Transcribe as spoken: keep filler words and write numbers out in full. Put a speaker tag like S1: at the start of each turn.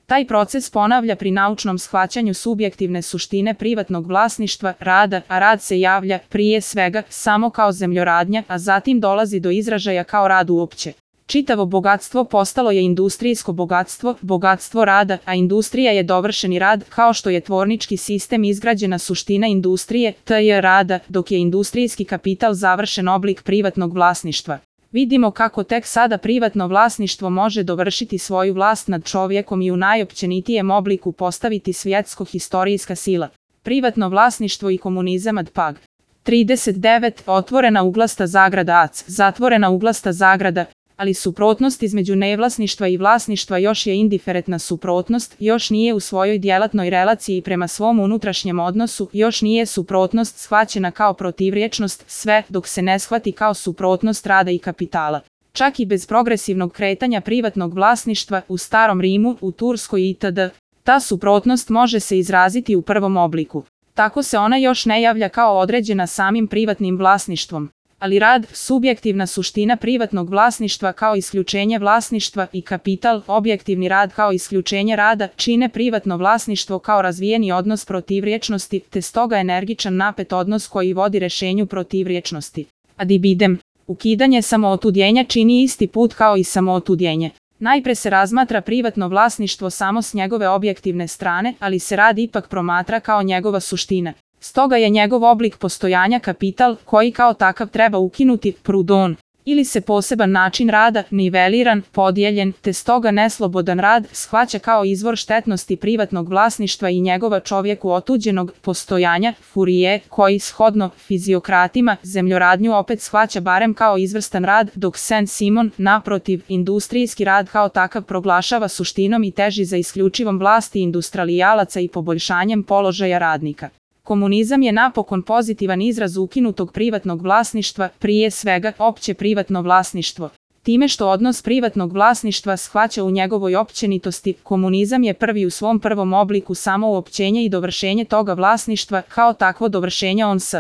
S1: Taj proces ponavlja pri naučnom shvaćanju subjektivne suštine privatnog vlasništva, rada, a rad se javlja, prije svega, samo kao zemljoradnja, a zatim dolazi do izražaja kao rad uopće. Čitavo bogatstvo postalo je industrijsko bogatstvo, bogatstvo rada, a industrija je dovršeni rad, kao što je tvornički sistem izgrađena suština industrije, to je rada, dok je industrijski kapital završen oblik privatnog vlasništva. Vidimo kako tek sada privatno vlasništvo može dovršiti svoju vlast nad čovjekom i u najopćenitijem obliku postaviti svjetsko-historijska sila. Privatno vlasništvo i komunizam ad pag. trideset devet. Otvorena uglasta zagrada ac, zatvorena uglasta zagrada, ali suprotnost između nevlasništva i vlasništva još je indiferentna suprotnost, još nije u svojoj djelatnoj relaciji prema svom unutrašnjem odnosu, još nije suprotnost shvaćena kao protivrječnost, sve dok se ne shvati kao suprotnost rada i kapitala. Čak i bez progresivnog kretanja privatnog vlasništva u Starom Rimu, u Turskoj itd., ta suprotnost može se izraziti u prvom obliku. Tako se ona još ne javlja kao određena samim privatnim vlasništvom. Ali rad, subjektivna suština privatnog vlasništva kao isključenje vlasništva i kapital, objektivni rad kao isključenje rada, čine privatno vlasništvo kao razvijeni odnos protivrječnosti, te stoga energičan napet odnos koji vodi rješenju protivrječnosti. Ad ibidem, ukidanje samootudjenja čini isti put kao i samootudjenje. Najpre se razmatra privatno vlasništvo samo s njegove objektivne strane, ali se rad ipak promatra kao njegova suština. Stoga je njegov oblik postojanja kapital, koji kao takav treba ukinuti, prudon, ili se poseban način rada, niveliran, podijeljen, te stoga neslobodan rad, shvaća kao izvor štetnosti privatnog vlasništva i njegova čovjeku otuđenog postojanja, Fourier, koji shodno fiziokratima zemljoradnju opet shvaća barem kao izvrstan rad, dok Saint-Simon, naprotiv, industrijski rad kao takav proglašava suštinom i teži za isključivom vlasti industrialijalaca i poboljšanjem položaja radnika. Komunizam je napokon pozitivan izraz ukinutog privatnog vlasništva, prije svega opće privatno vlasništvo. Time što odnos privatnog vlasništva shvaća u njegovoj općenitosti, komunizam je prvi u svom prvom obliku samo uopćenje i dovršenje toga vlasništva, kao takvo dovršenje on s